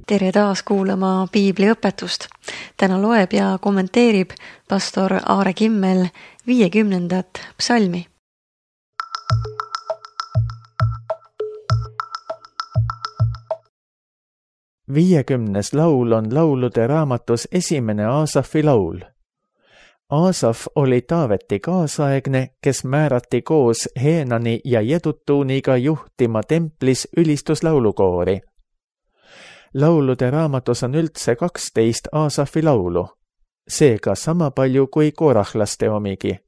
Tere taas kuulama piibliõpetust. Täna loeb ja kommenteerib pastor Aare Kimmel 50. psalmi. Viiekümnes laul on laulude raamatus esimene Aasafi laul. Aasaf oli Taaveti kaasaegne, kes määrati koos Heenani ja Jedutuuniga juhtima templis ülistuslaulukoori. Laulude raamatus on üldse 12 Aasafi laulu, seega sama palju kui korahlaste omigi.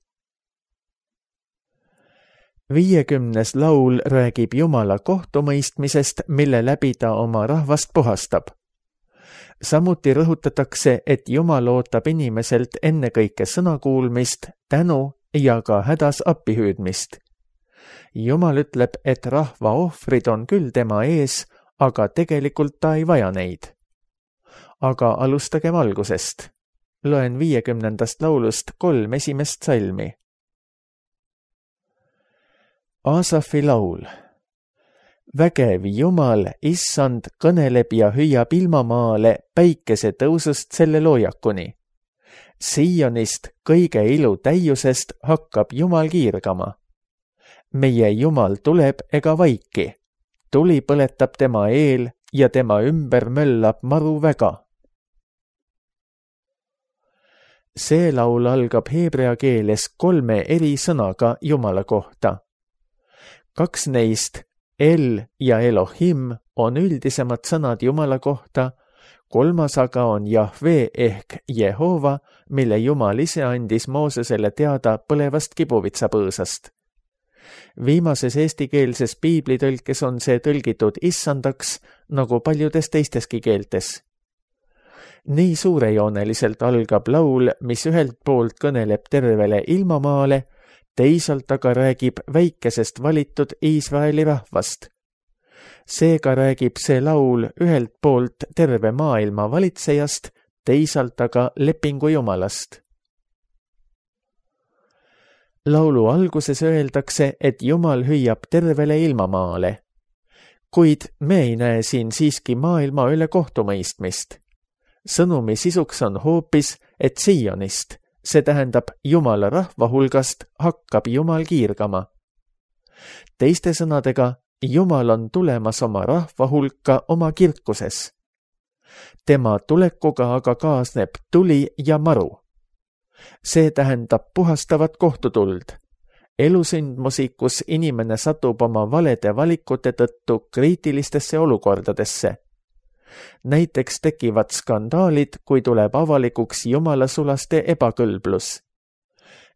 50. laul räägib Jumala kohtumõistmisest, mille läbi ta oma rahvast puhastab. Samuti rõhutatakse, et Jumal ootab inimeselt ennekõike sõnakuulmist, tänu ja ka hädas appihüüdmist. Jumal ütleb, et rahva ohvrid on küll tema ees, aga tegelikult ta ei vaja neid. Aga alustagem algusest. Loen 50. laulust 3 esimest salmi. Aasafi laul. Vägev Jumal, issand, kõneleb ja hüüab ilmamaale päikese tõusust selle loojakuni. Siionist kõige ilu täiusest hakkab Jumal kiirgama. Meie Jumal tuleb ega vaiki. Tuli põletab tema eel ja tema ümber möllab maru väga. See laul algab heebrea keeles 3 eri sõnaga Jumala kohta. 2 neist, El ja Elohim, on üldisemad sõnad Jumala kohta, 3. aga on Jahve ehk Jehova, mille Jumal ise andis Moosesele teada põlevast kibuvitsapõõsast. Viimases eestikeelses piiblitõlkes on see tõlgitud issandaks, nagu paljudes teisteski keeltes. Nii suurejooneliselt algab laul, mis ühelt poolt kõneleb tervele ilmamaale, teisalt aga räägib väikesest valitud Iisraeli rahvast. Seega räägib see laul ühelt poolt terve maailma valitsejast, teisalt aga lepingu Jumalast. Laulu alguses öeldakse, et Jumal hüüab tervele ilmamaale. Kuid me ei näe siin siiski maailma üle kohtumõistmist. Sõnumi sisuks on hoopis, et Sionist, see tähendab Jumala rahva hulgast, hakkab Jumal kiirgama. Teiste sõnadega, Jumal on tulemas oma rahva hulka oma kirkuses. Tema tulekuga aga kaasneb tuli ja maru. See tähendab puhastavat kohtutuld, elusündmusi, kus inimene satub oma valede valikute tõttu kriitilistesse olukordadesse. Näiteks tekivad skandaalid, kui tuleb avalikuks Jumala sulaste ebakõlblus.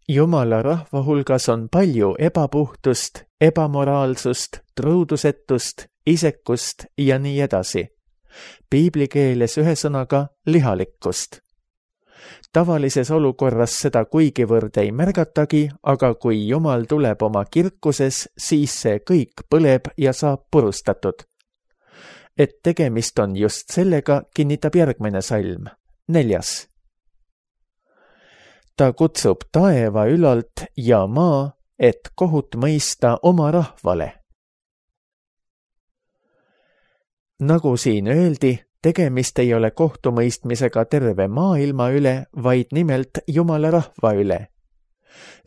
Jumala rahva hulgas on palju ebapuhtust, ebamoraalsust, truudusetust, isekust ja nii edasi. Piiblikeeles ühesõnaga lihalikkust. Tavalises olukorras seda kuigivõrd ei märgatagi, aga kui Jumal tuleb oma kirkuses, siis see kõik põleb ja saab purustatud. Et tegemist on just sellega, kinnitab järgmine salm, 4. Ta kutsub taeva ülalt ja maa, et kohut mõista oma rahvale. Nagu siin öeldi, tegemist ei ole kohtumõistmisega terve maailma üle, vaid nimelt Jumala rahva üle.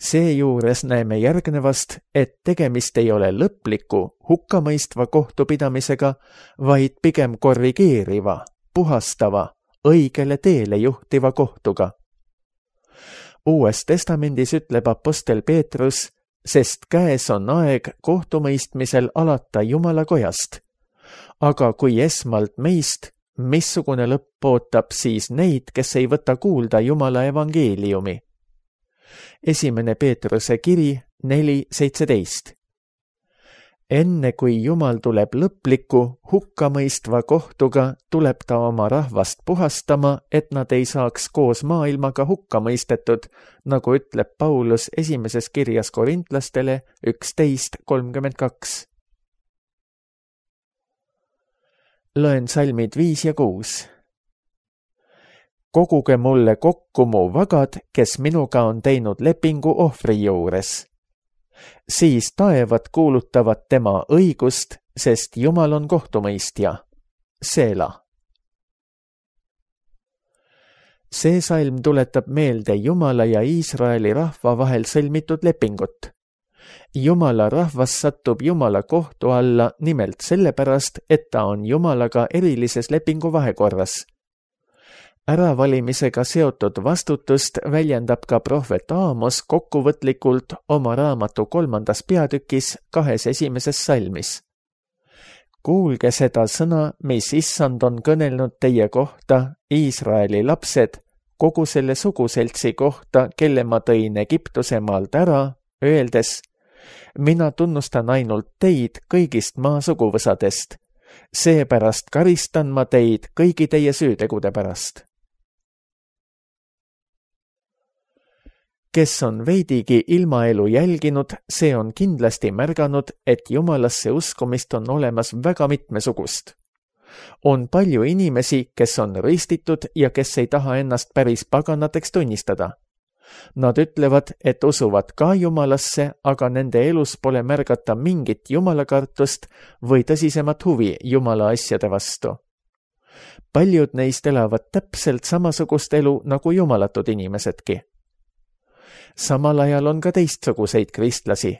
Seejuures näeme järgnevast, et tegemist ei ole lõpliku, hukkamõistva kohtupidamisega, vaid pigem korrigeeriva, puhastava, õigele teele juhtiva kohtuga. Uues testamendis ütleb apostel Peetrus, sest käes on aeg kohtumõistmisel alata Jumala kojast. Aga kui esmalt meist, missugune lõpp ootab siis neid, kes ei võta kuulda Jumala evangeeliumi? 1. Peetruse kiri 4:17. Enne kui Jumal tuleb lõpliku, hukkamõistva kohtuga, tuleb ta oma rahvast puhastama, et nad ei saaks koos maailmaga hukka mõistetud, nagu ütleb Paulus 1. kirjas Korintlastele 11:32. Loen salmid 5 ja 6. Koguge mulle kokku mu vagad, kes minuga on teinud lepingu ohvri juures. Siis taevad kuulutavad tema õigust, sest Jumal on kohtumõistja. Seela. See salm tuletab meelde Jumala ja Iisraeli rahva vahel sõlmitud lepingut. Jumala rahvas satub Jumala kohtu alla nimelt sellepärast, et ta on Jumalaga erilises lepingu vahekorras. Äravalimisega seotud vastutust väljendab ka prohvet Aamos kokkuvõtlikult oma raamatu 3. peatükis 2 esimeses salmis. Kuulge seda sõna, mis Issand on kõnelnud teie kohta, Iisraeli lapsed, kogu selle suguseltsi kohta, kelle ma tõin Egiptuse maalt ära, öeldes, mina tunnustan ainult teid kõigist maa suguvõsadest. Seepärast karistan ma teid kõigi teie süütegude pärast. Kes on veidigi ilmaelu jälginud, see on kindlasti märganud, et Jumalasse uskumist on olemas väga mitmesugust. On palju inimesi, kes on ristitud ja kes ei taha ennast päris paganateks tunnistada. Nad ütlevad, et usuvad ka Jumalasse, aga nende elus pole märgata mingit jumalakartust või tõsisemat huvi Jumala asjade vastu. Paljud neist elavad täpselt samasugust elu nagu jumalatud inimesedki. Samal ajal on ka teistsuguseid kristlasi,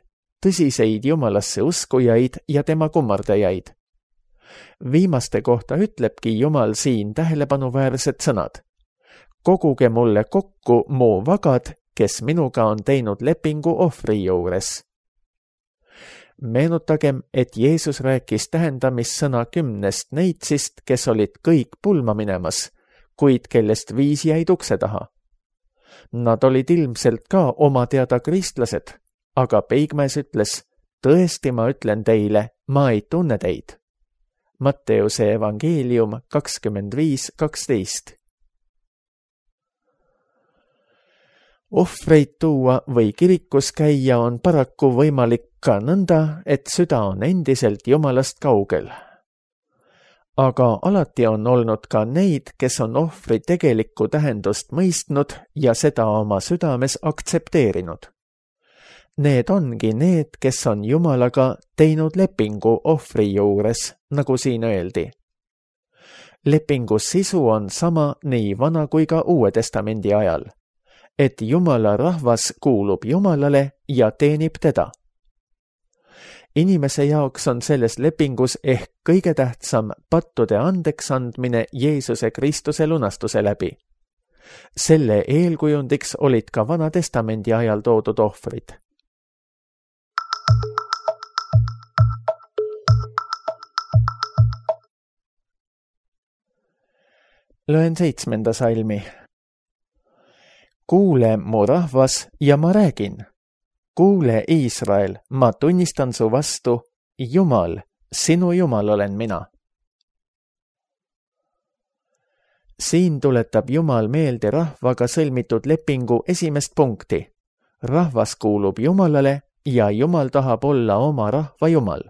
tõsiseid Jumalasse uskujaid ja tema kummardajaid. Viimaste kohta ütlebki Jumal siin tähelepanuväärsed sõnad. Koguge mulle kokku mu vagad, kes minuga on teinud lepingu ohvri juures. Meenutagem, et Jeesus rääkis tähendamissõna 10 neitsist, kes olid kõik pulma minemas, kuid kellest 5 jäid ukse taha. Nad olid ilmselt ka oma teada kristlased, aga Peigmäes ütles, tõesti ma ütlen teile, ma ei tunne teid. Matteuse evangeelium 25:12. Ohvreid tuua või kirikus käia on paraku võimalik ka nõnda, et süda on endiselt Jumalast kaugel. Aga alati on olnud ka neid, kes on ohvri tegelikku tähendust mõistnud ja seda oma südames aktsepteerinud. Need ongi need, kes on Jumalaga teinud lepingu ohvri juures, nagu siin öeldi. Lepingu sisu on sama nii Vana kui ka Uue Testamendi ajal, et Jumala rahvas kuulub Jumalale ja teenib teda. Inimese jaoks on selles lepingus ehk kõige tähtsam pattude andeks andmine Jeesuse Kristuse lunastuse läbi. Selle eelkujundiks olid ka Vana Testamendi ajal toodud ohvrid. Loen 7. salmi. Kuule, mu rahvas, ja ma räägin. Kuule, Iisrael, ma tunnistan su vastu, Jumal, sinu Jumal olen mina. Siin tuletab Jumal meelde rahvaga sõlmitud lepingu esimest punkti. Rahvas kuulub Jumalale ja Jumal tahab olla oma rahva Jumal.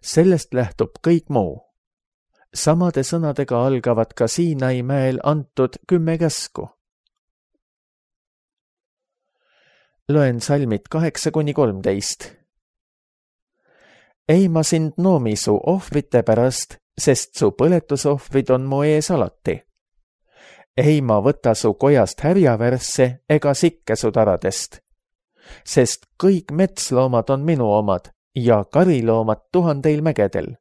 Sellest lähtub kõik muu. Samade sõnadega algavad ka Siinai mäel antud 10 käsku. Loen salmid 8-13. Ei ma sind noomi su ohvrite pärast, sest su põletusohvrid on mu ees alati. Ei ma võta su kojast härjavärsse ega sikke su taradest, sest kõik metsloomad on minu omad ja kariloomad 1000 mägedel.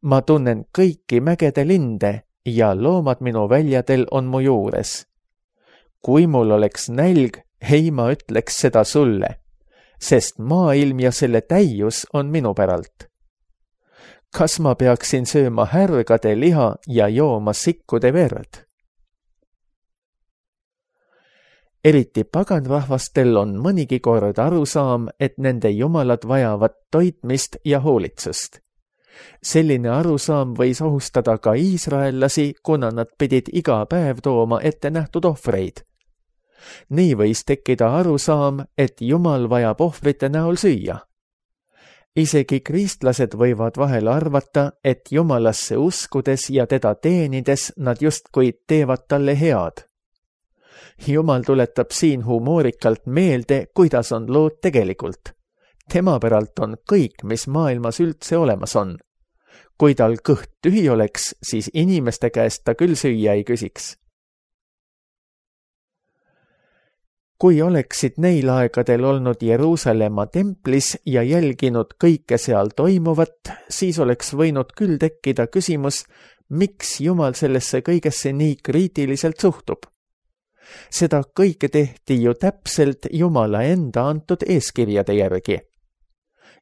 Ma tunnen kõiki mägede linde ja loomad minu väljadel on mu juures. Kui mul oleks nälg, ei ma ütleks seda sulle, sest maailm ja selle täius on minu päralt. Kas ma peaksin sööma härgade liha ja jooma sikkude verd? Eriti paganrahvastel on mõnigi kord arusaam, et nende jumalad vajavad toitmist ja hoolitsust. Selline arusaam võis ohustada ka iisraellasi, kuna nad pidid iga päev tooma ette nähtud ohvreid. Nii võis tekkida arusaam, et Jumal vajab ohvrite näol süüa. Isegi kristlased võivad vahel arvata, et Jumalasse uskudes ja teda teenides nad justkui teevad talle head. Jumal tuletab siin humoorikalt meelde, kuidas on lood tegelikult. Tema päralt on kõik, mis maailmas üldse olemas on. Kui tal kõht tühi oleks, siis inimeste käest ta küll süüa ei küsiks. Kui oleksid neil aegadel olnud Jeruusalemma templis ja jälginud kõike seal toimuvat, siis oleks võinud küll tekkida küsimus, miks Jumal sellesse kõigesse nii kriitiliselt suhtub. Seda kõike tehti ju täpselt Jumala enda antud eeskirjade järgi.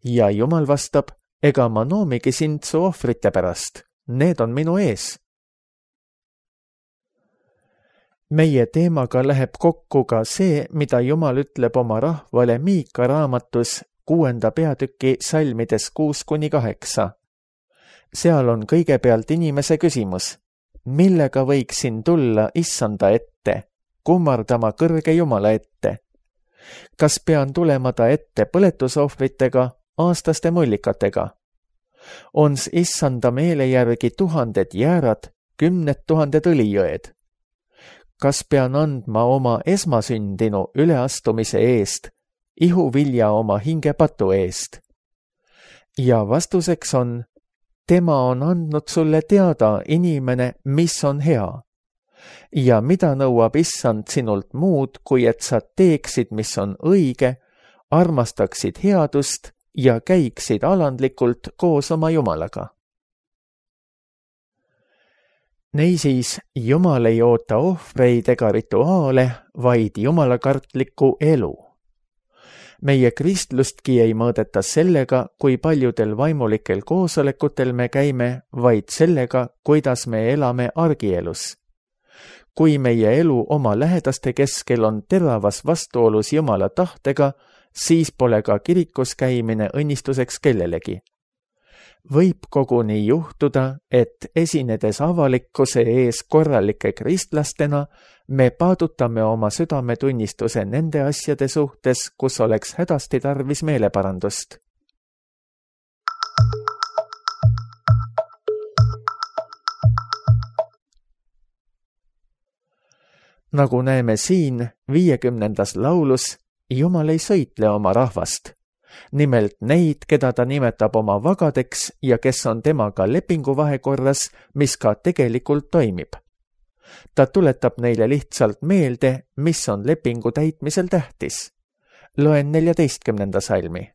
Ja Jumal vastab, ega ma noomigi sind su ohvrite pärast, need on minu ees. Meie teemaga läheb kokku ka see, mida Jumal ütleb oma rahvale Miika raamatus 6. peatüki salmides 6-8. Seal on kõigepealt inimese küsimus, millega võiksin tulla issanda ette, kummardama kõrge Jumala ette. Kas pean tulema ta ette põletusohvritega, aastaste mullikatega? On issanda meele järgi 1000 jäärad, 10 000 õlijõed? Kas pean andma oma esmasündinu üleastumise eest, ihuvilja oma hingepatu eest? Ja vastuseks on, tema on andnud sulle teada, inimene, mis on hea. Ja mida nõuab issand sinult muud, kui et sa teeksid, mis on õige, armastaksid headust ja käiksid alandlikult koos oma Jumalaga. Neisiis, Jumal ei oota ohvreid ega rituaale, vaid jumalakartlikku elu. Meie kristlustki ei mõõdeta sellega, kui paljudel vaimulikel koosolekutel me käime, vaid sellega, kuidas me elame argielus. Kui meie elu oma lähedaste keskel on teravas vastuolus Jumala tahtega, siis pole ka kirikus käimine õnnistuseks kellelegi. Võib koguni juhtuda, et esinedes avalikkuse ees korralike kristlastena, me paadutame oma südametunnistuse nende asjade suhtes, kus oleks hädasti tarvis meeleparandust. Nagu näeme siin 50. laulus, Jumal ei sõitle oma rahvast. Nimelt neid, keda ta nimetab oma vagadeks ja kes on temaga lepingu vahekorras, mis ka tegelikult toimib. Ta tuletab neile lihtsalt meelde, mis on lepingu täitmisel tähtis. Loen 14. salmi.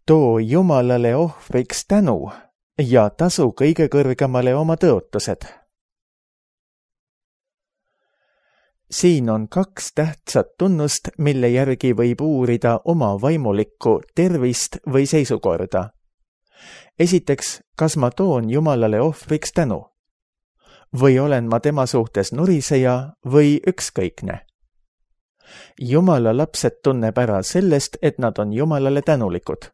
Too Jumalale ohvriks tänu ja tasu kõige kõrgemale oma tõotused. Siin on 2 tähtsat tunnust, mille järgi võib uurida oma vaimulikku tervist või seisukorda. Esiteks, kas ma toon Jumalale ohvriks tänu? Või olen ma tema suhtes nuriseja või ükskõikne? Jumala lapsed tunneb ära sellest, et nad on Jumalale tänulikud.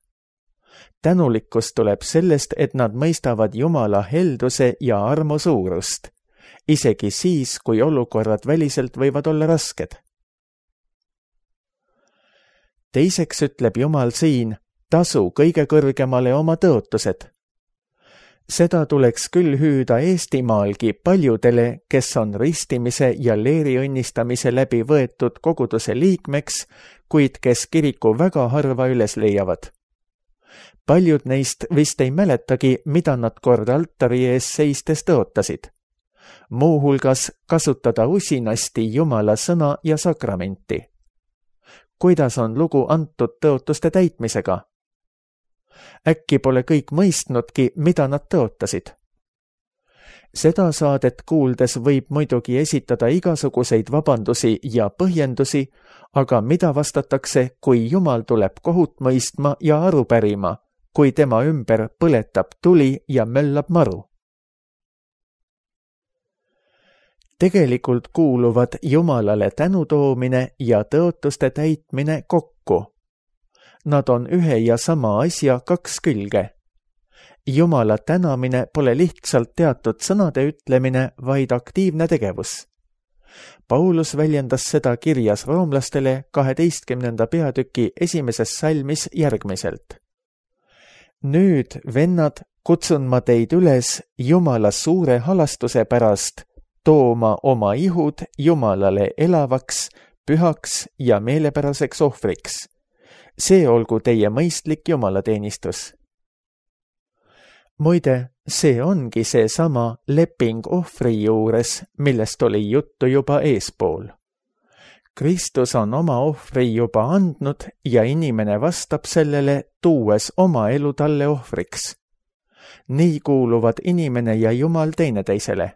Tänulikkus tuleb sellest, et nad mõistavad Jumala helduse ja armu suurust. Isegi siis, kui olukorrad väliselt võivad olla rasked. Teiseks ütleb Jumal siin, tasu kõige kõrgemale oma tõotused. Seda tuleks küll hüüda Eestimaalgi paljudele, kes on ristimise ja leeriõnnistamise läbi võetud koguduse liikmeks, kuid kes kiriku väga harva üles leiavad. Paljud neist vist ei mäletagi, mida nad kord altari ees seistes tõotasid. Muuhulgas kasutada usinasti Jumala sõna ja sakramenti. Kuidas on lugu antud tõotuste täitmisega? Äkki pole kõik mõistnudki, mida nad tõotasid? Seda saadet kuuldes võib muidugi esitada igasuguseid vabandusi ja põhjendusi, aga mida vastatakse, kui Jumal tuleb kohut mõistma ja aru pärima, kui tema ümber põletab tuli ja möllab maru? Tegelikult kuuluvad Jumalale tänutoomine ja tõotuste täitmine kokku. Nad on ühe ja sama asja 2 külge. Jumala tänamine pole lihtsalt teatud sõnade ütlemine, vaid aktiivne tegevus. Paulus väljendas seda kirjas roomlastele 12. peatüki 1. salmis järgmiselt. Nüüd, vennad, kutsun ma teid üles Jumala suure halastuse pärast tooma oma ihud Jumalale elavaks, pühaks ja meelepäraseks ohvriks. See olgu teie mõistlik jumalateenistus. Muide, see ongi see sama leping ohvri juures, millest oli juttu juba eespool. Kristus on oma ohvri juba andnud ja inimene vastab sellele, tuues oma elu talle ohvriks. Nii kuuluvad inimene ja Jumal teineteisele.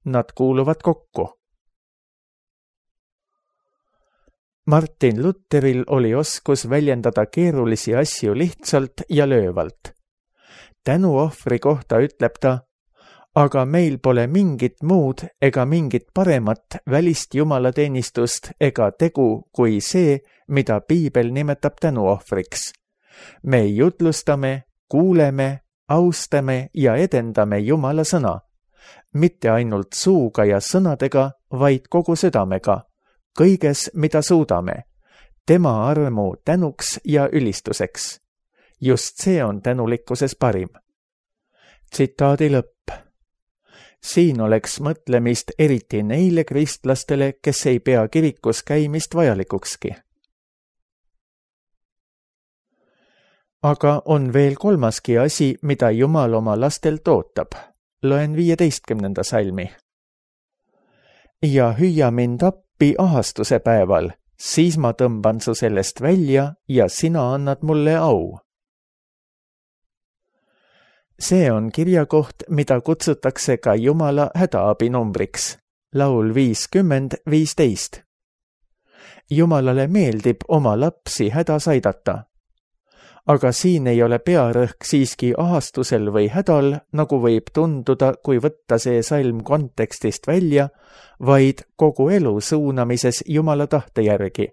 Nad kuuluvad kokku. Martin Lutheril oli oskus väljendada keerulisi asju lihtsalt ja löövalt. Tänuohvri kohta ütleb ta, aga meil pole mingit muud ega mingit paremat välist jumalateenistust ega tegu kui see, mida Piibel nimetab tänuohvriks. Me jutlustame, kuuleme, austame ja edendame Jumala sõna. Mitte ainult suuga ja sõnadega, vaid kogu südamega, kõiges, mida suudame, tema armu tänuks ja ülistuseks. Just see on tänulikkuses parim. Tsitaadi lõpp. Siin oleks mõtlemist eriti neile kristlastele, kes ei pea kirikus käimist vajalikukski. Aga on veel kolmaski asi, mida Jumal oma lastelt ootab. Loen 15. salmi. Ja hüüa mind appi ahastuse päeval, siis ma tõmban su sellest välja ja sina annad mulle au. See on kirjakoht, mida kutsutakse ka Jumala hädaabinumbriks. Laul 50:15. Jumalale meeldib oma lapsi hädas aidata. Aga siin ei ole pearõhk siiski ahastusel või hädal, nagu võib tunduda, kui võtta see salm kontekstist välja, vaid kogu elu suunamises Jumala tahte järgi.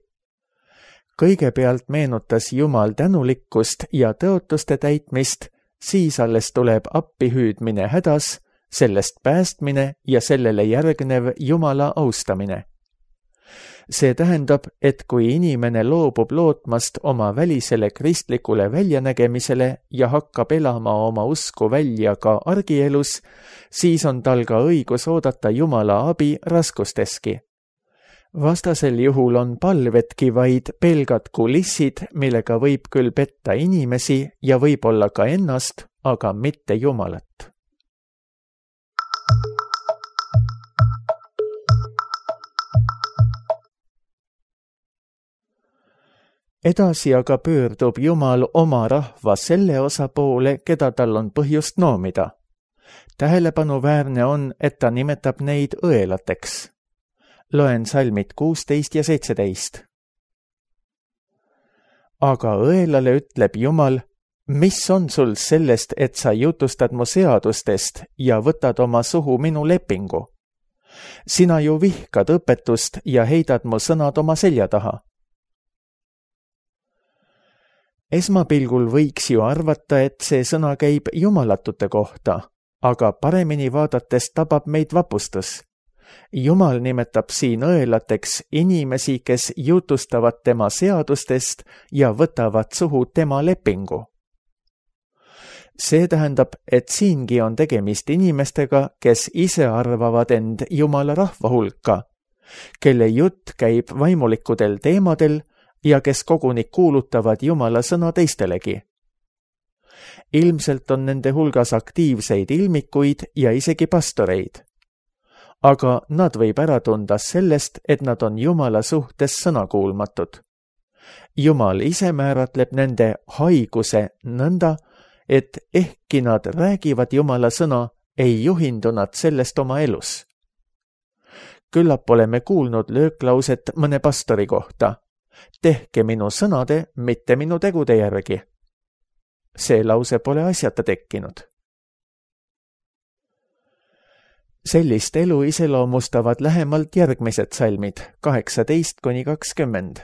Kõigepealt meenutas Jumal tänulikkust ja tõotuste täitmist, siis alles tuleb appihüüdmine hädas, sellest päästmine ja sellele järgnev Jumala austamine. See tähendab, et kui inimene loobub lootmast oma välisele kristlikule väljanägemisele ja hakkab elama oma usku välja ka argielus, siis on tal ka õigus oodata Jumala abi raskusteski. Vastasel juhul on palvedki vaid pelgad kulissid, millega võib küll petta inimesi ja võib-olla ka ennast, aga mitte Jumalat. Edasi aga pöördub Jumal oma rahva selle osa poole, keda tal on põhjust noomida. Tähelepanuväärne on, et ta nimetab neid õelateks. Loen salmid 16 ja 17. Aga õelale ütleb Jumal, mis on sul sellest, et sa jutustad mu seadustest ja võtad oma suhu minu lepingu? Sina ju vihkad õpetust ja heidad mu sõnad oma selja taha. Esmapilgul võiks ju arvata, et see sõna käib jumalatute kohta, aga paremini vaadates tabab meid vapustus. Jumal nimetab siin õelateks inimesi, kes jutustavad tema seadustest ja võtavad suhu tema lepingu. See tähendab, et siingi on tegemist inimestega, kes ise arvavad end Jumala rahva hulka, kelle jutt käib vaimulikudel teemadel ja kes koguni kuulutavad Jumala sõna teistelegi. Ilmselt on nende hulgas aktiivseid ilmikuid ja isegi pastoreid. Aga nad võib ära tunda sellest, et nad on Jumala suhtes sõnakuulmatud. Jumal ise määratleb nende haiguse nõnda, et ehkki nad räägivad Jumala sõna, ei juhindu nad sellest oma elus. Küllap oleme kuulnud lööklauset mõne pastori kohta. Tehke minu sõnade, mitte minu tegude järgi. See lause pole asjata tekkinud. Sellist elu iseloomustavad lähemalt järgmised salmid 18-20.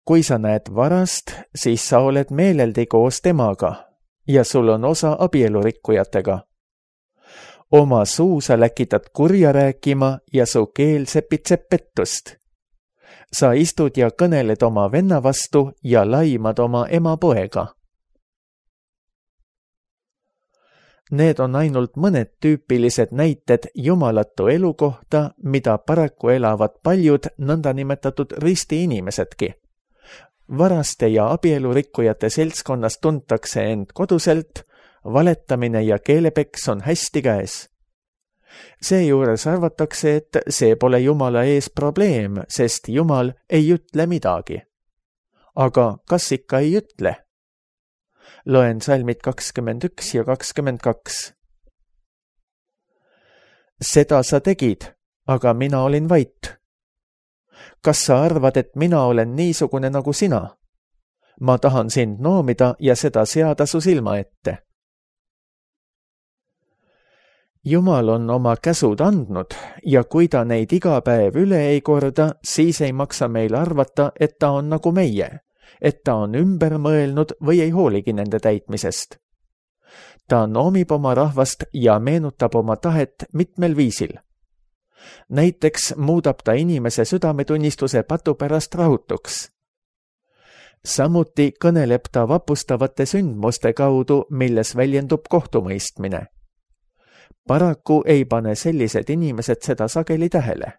Kui sa näed varast, siis sa oled meeleldi koos temaga ja sul on osa abielurikkujatega. Oma suu sa läkitad kurja rääkima ja su keel sepitseb pettust. Sa istud ja kõneled oma venna vastu ja laimad oma ema poega. Need on ainult mõned tüüpilised näited jumalatu elu kohta, mida paraku elavad paljud nõndanimetatud risti inimesedki. Varaste ja abielurikkujate seltskonnas tuntakse end koduselt, valetamine ja keelepeks on hästi käes. Seejuures arvatakse, et see pole Jumala ees probleem, sest Jumal ei ütle midagi. Aga kas ikka ei ütle? Loen salmid 21 ja 22. Seda sa tegid, aga mina olin vait. Kas sa arvad, et mina olen niisugune nagu sina? Ma tahan sind noomida ja seda seada su silma ette. Jumal on oma käsud andnud ja kui ta neid iga päev üle ei korda, siis ei maksa meil arvata, et ta on nagu meie, et ta on ümber mõelnud või ei hooligi nende täitmisest. Ta noomib oma rahvast ja meenutab oma tahet mitmel viisil. Näiteks muudab ta inimese südametunnistuse patu pärast rahutuks. Samuti kõneleb ta vapustavate sündmuste kaudu, milles väljendub kohtumõistmine. Paraku ei pane sellised inimesed seda sageli tähele.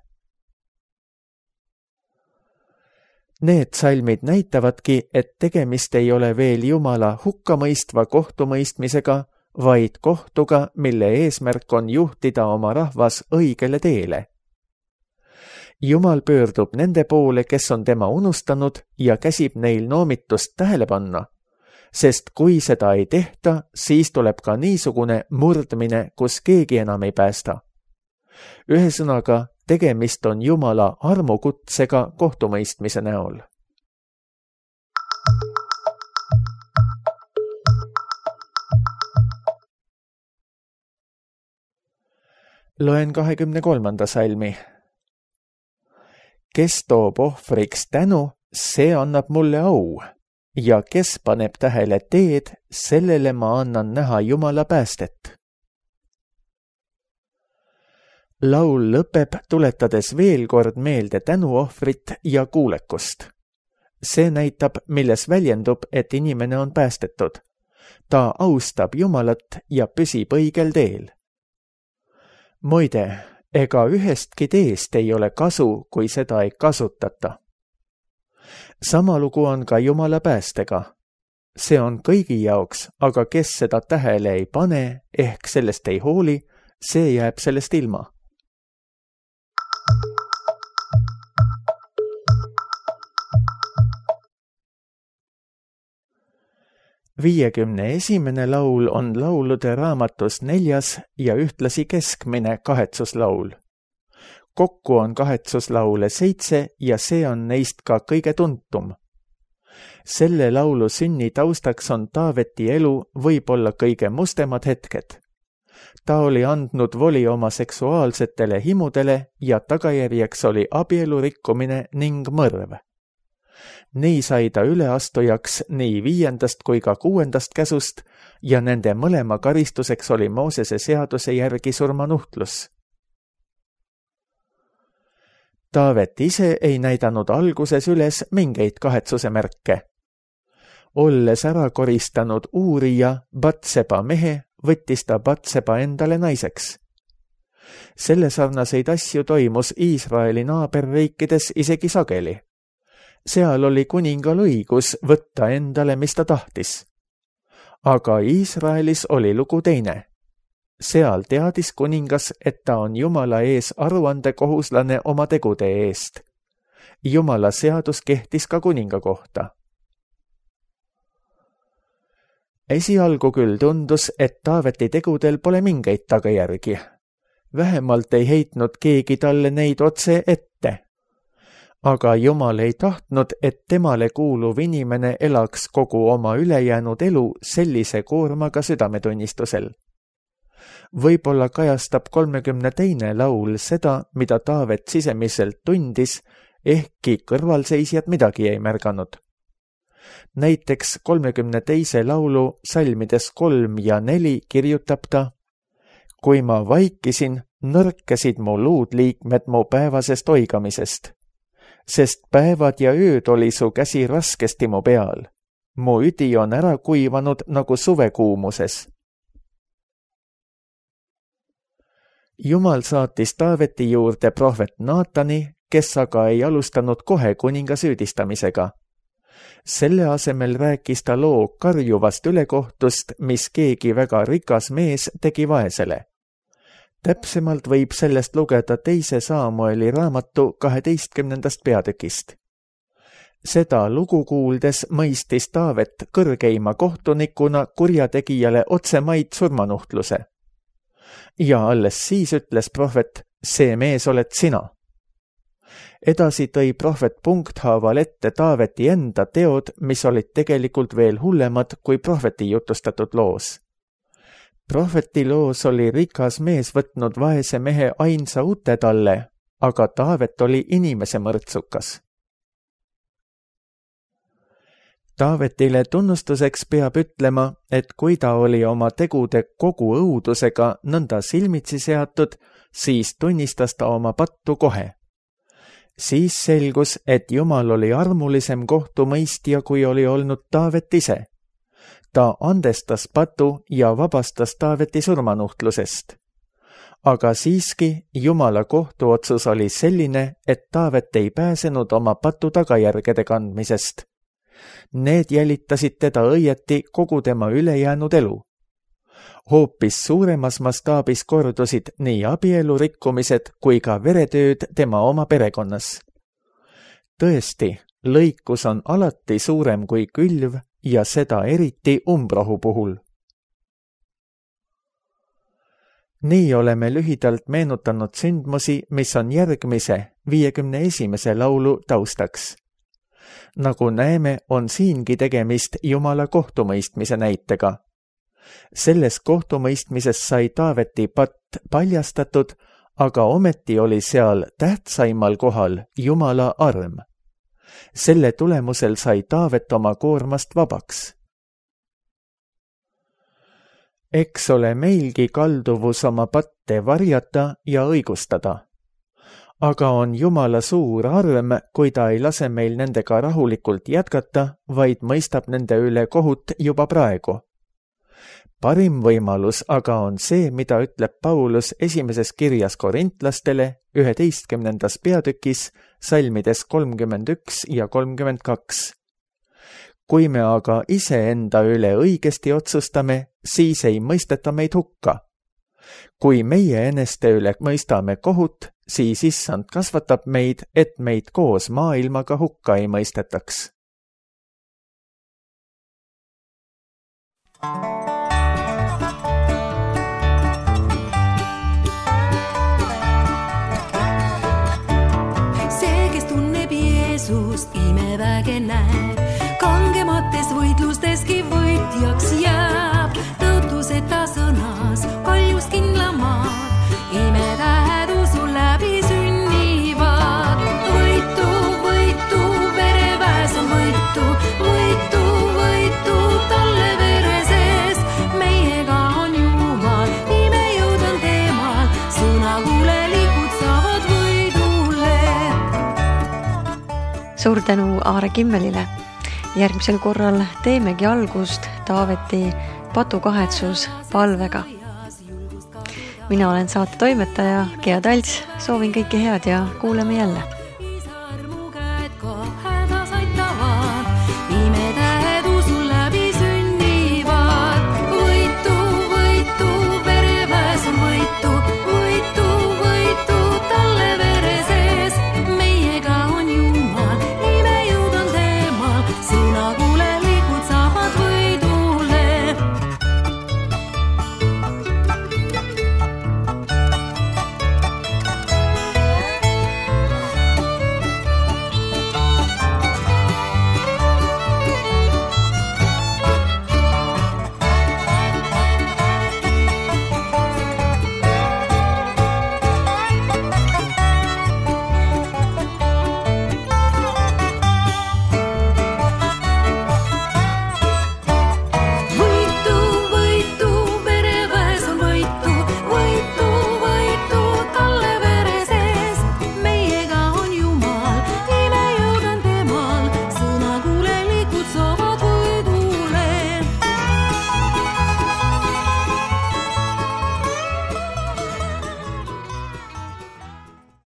Need salmid näitavadki, et tegemist ei ole veel Jumala hukkamõistva kohtumõistmisega, vaid kohtuga, mille eesmärk on juhtida oma rahvas õigele teele. Jumal pöördub nende poole, kes on tema unustanud ja käsib neil noomitust tähele panna, sest kui seda ei tehta, siis tuleb ka niisugune murdmine, kus keegi enam ei päästa. Ühesõnaga, tegemist on Jumala armukutsega kohtumõistmise näol. Loen 23. salmi. Kes toob ohvriks tänu, see annab mulle au, ja kes paneb tähele teed, sellele ma annan näha Jumala päästet. Laul lõpeb, tuletades veel kord meelde tänuohvrit ja kuulekust. See näitab, milles väljendub, et inimene on päästetud. Ta austab Jumalat ja püsib õigel teel. Muide, ega ühestki teest ei ole kasu, kui seda ei kasutata. Sama lugu on ka Jumala päästega. See on kõigi jaoks, aga kes seda tähele ei pane, ehk sellest ei hooli, see jääb sellest ilma. Viiekümne esimene laul on laulude raamatus 4. ja ühtlasi keskmine kahetsuslaul. Kokku on kahetsuslaule 7 ja see on neist ka kõige tuntum. Selle laulu sünni taustaks on Taaveti elu võib-olla kõige mustemad hetked. Ta oli andnud voli oma seksuaalsetele himudele ja tagajärjeks oli abielu rikkumine ning mõrv. Nii sai ta üleastujaks nii 5. kui ka 6. käsust ja nende mõlema karistuseks oli Moosese seaduse järgi surmanuhtlus. Taavet ise ei näidanud alguses üles mingeid kahetsuse märke. Olles ära koristanud Uurija, Batseba mehe, võttis ta Batseba endale naiseks. Selle sarnaseid asju toimus Iisraeli naaberriikides isegi sageli. Seal oli kuningal õigus võtta endale, mis ta tahtis. Aga Iisraelis oli lugu teine. Seal teadis kuningas, et ta on Jumala ees aruandekohuslane oma tegude eest. Jumala seadus kehtis ka kuninga kohta. Esialgu küll tundus, et Taaveti tegudel pole mingeid tagajärgi. Vähemalt ei heitnud keegi talle neid otse ette. Aga Jumal ei tahtnud, et temale kuuluv inimene elaks kogu oma ülejäänud elu sellise koormaga südametunnistusel. Võib-olla kajastab 32. laul seda, mida Taavet sisemiselt tundis, ehkki kõrvalseisjad midagi ei märganud. Näiteks 32. laulu salmides 3 ja 4 kirjutab ta: Kui ma vaikisin, nõrkesid mu luudliikmed mu päevasest oigamisest. Sest päevad ja ööd oli su käsi raskesti mu peal. Mu üdi on ära kuivanud nagu suvekuumuses. Jumal saatis Taaveti juurde prohvet Naatani, kes aga ei alustanud kohe kuninga süüdistamisega. Selle asemel rääkis ta loo karjuvast ülekohtust, mis keegi väga rikas mees tegi vaesele. Täpsemalt võib sellest lugeda 2. Saamueli raamatu 12. peatükist. Seda lugu kuuldes mõistis Taavet kõrgeima kohtunikuna kurjategijale otsemaid surmanuhtluse. Ja alles siis ütles prohvet, see mees oled sina. Edasi tõi prohvet punkthaaval ette Taaveti enda teod, mis olid tegelikult veel hullemad kui prohveti jutustatud loos. Prohveti loos oli rikas mees võtnud vaese mehe ainsa ute talle, aga Taavet oli inimese mõrtsukas. Taavetile tunnustuseks peab ütlema, et kui ta oli oma tegude kogu õudusega nõnda silmitsi seatud, siis tunnistas ta oma pattu kohe. Siis selgus, et Jumal oli armulisem kohtumõistja, kui oli olnud Taavet ise. Ta andestas patu ja vabastas Taaveti surmanuhtlusest. Aga siiski Jumala kohtuotsus oli selline, et Taavet ei pääsenud oma patu tagajärgede kandmisest. Need jälitasid teda õieti kogu tema ülejäänud elu. Hoopis suuremas mastaabis kordusid nii abielu rikkumised kui ka veretööd tema oma perekonnas. Tõesti, lõikus on alati suurem kui külv ja seda eriti umbrohu puhul. Nii oleme lühidalt meenutanud sündmusi, mis on järgmise 51. laulu taustaks. Nagu näeme, on siingi tegemist Jumala kohtumõistmise näitega. Selles kohtumõistmises sai Taaveti patt paljastatud, aga ometi oli seal tähtsaimal kohal Jumala arm. Selle tulemusel sai Taavet oma koormast vabaks. Eks ole meilgi kalduvus oma patte varjata ja õigustada. Aga on Jumala suur arm, kui ta ei lase meil nendega rahulikult jätkata, vaid mõistab nende üle kohut juba praegu. Parim võimalus aga on see, mida ütleb Paulus esimeses kirjas korintlastele 11. peatükis, salmides 31 ja 32. Kui me aga iseenda üle õigesti otsustame, siis ei mõisteta meid hukka. Kui meie eneste üle mõistame kohut, siis Issand kasvatab meid, et meid koos maailmaga hukka ei mõistetaks. See, kes tunneb Jeesust, imeväge näeb, kangemates võitlusteski võitjaks jääb, tõotuseta sõnas, kaljus kindlamaad, imetähed usu läbi sünnivad. Võitu, võitu, vereväes on võitu, võitu, võitu talle vere sees. Meiega on Jumal, imejõud on teemal, sõnakuulelikud saavad võidule. Suur tänu Aare Kimmelile. Järgmisel korral teemegi algust Taaveti patukahetsus palvega. Mina olen saate toimetaja Gea Talts, soovin kõike head ja kuuleme jälle.